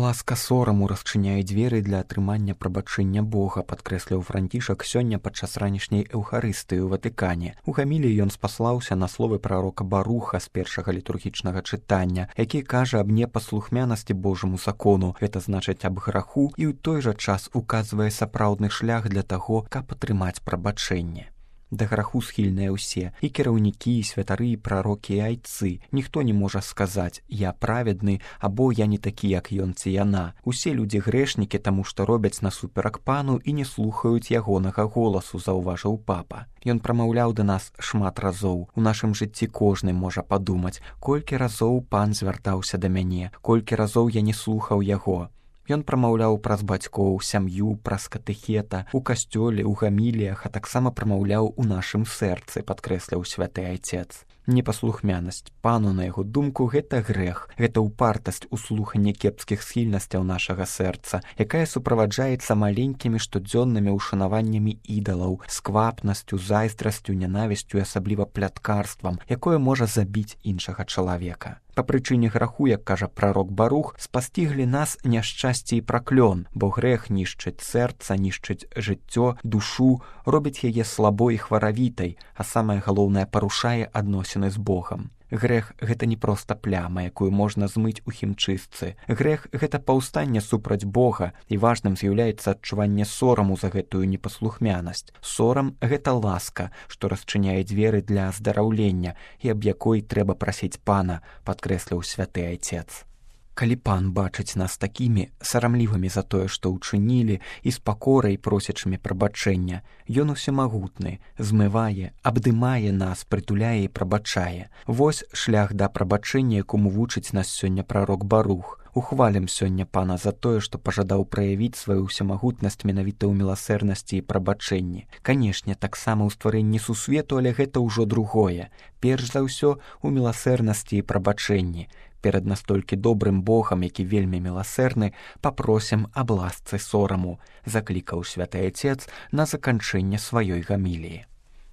Ласка сораму расчыняе дзверы для атрымання прабачэння Бога, падкрэсліў Францішак сёння падчас ранішняй эўхарыстыі ў Ватыкане. У гаміліі ён спаслаўся на словы прарока Баруха з першага літургічнага чытання, які кажа аб непаслухмянасці Божаму закону, гэта значыць аб граху, і ў той жа час указвае сапраўдны шлях для таго, каб атрымаць прабачэнне. Да граху схільныя ўсе, і кіраўнікі, і святары, і прарокі, і айцы. Ніхто не можа сказаць «я праведны» або «я не такі, як ён ці яна». Усе людзі грэшнікі, таму што робяць насуперак пану і не слухаюць ягонага голасу, заўважыў папа. Ён прамаўляў да нас шмат разоў. У нашым жыцці кожны можа падумаць, колькі разоў пан звяртаўся да мяне, колькі разоў я не слухаў яго. Ён прамаўляў праз бацькоў, сям'ю, праз катэхета, у касцёле, у гаміліях, а таксама прамаўляў у нашым сэрцы, падкрэсліў святы айцец. Непаслухмянасць пану, на яго думку, гэта грэх, гэта ўпартасць у слуханні кепскіх схільнасцяў нашага сэрца, якая суправаджаецца маленькімі штодзённымі ўшанаваннямі ідалаў, сквапнасцю, зайздрасцю, нянавісцю і асабліва пляткарствам, якое можа забіць іншага чалавека. Па прычыне граху, як кажа прарок Барух, спасціглі нас няшчасце і праклён, бо грэх нішчыць сэрца, нішчыць жыццё, душу, робіць яе слабой і хваравітай, а самае галоўнае парушае адносіны з Богам. Грэх – гэта не проста пляма, якую можна змыць у хімчыстцы. Грэх – гэта паўстанне супраць Бога, і важным з'яўляецца адчуванне сораму за гэтую непаслухмянасць. Сорам – гэта ласка, што расчыняе дзверы для аздараўлення і аб якой трэба прасіць пана, падкрэсліў святы айцец. Калі пан бачыць нас такімі, сарамлівымі за тое, што ўчынілі, і з пакорай просячымі прабачэння, ён усемагутны, змывае, абдымае нас, притуляе і прабачае. Вось шлях да прабачэння, якому вучыць нас сёння прарок Барух. Ухвалім сёння пана за тое, што пажадаў праявіць сваю ўсемагутнасць менавіта ў міласэрнасці і прабачэнні. Канешне, таксама ў стварэнні сусвету, але гэта ўжо другое. Перш за ўсё, у міласэрнасці і прабачэнні. Перад настолькі добрым Богам, які вельмі міласэрны, папросім аб ласцы сораму, заклікаў святы айцец на заканчэнне сваёй гаміліі.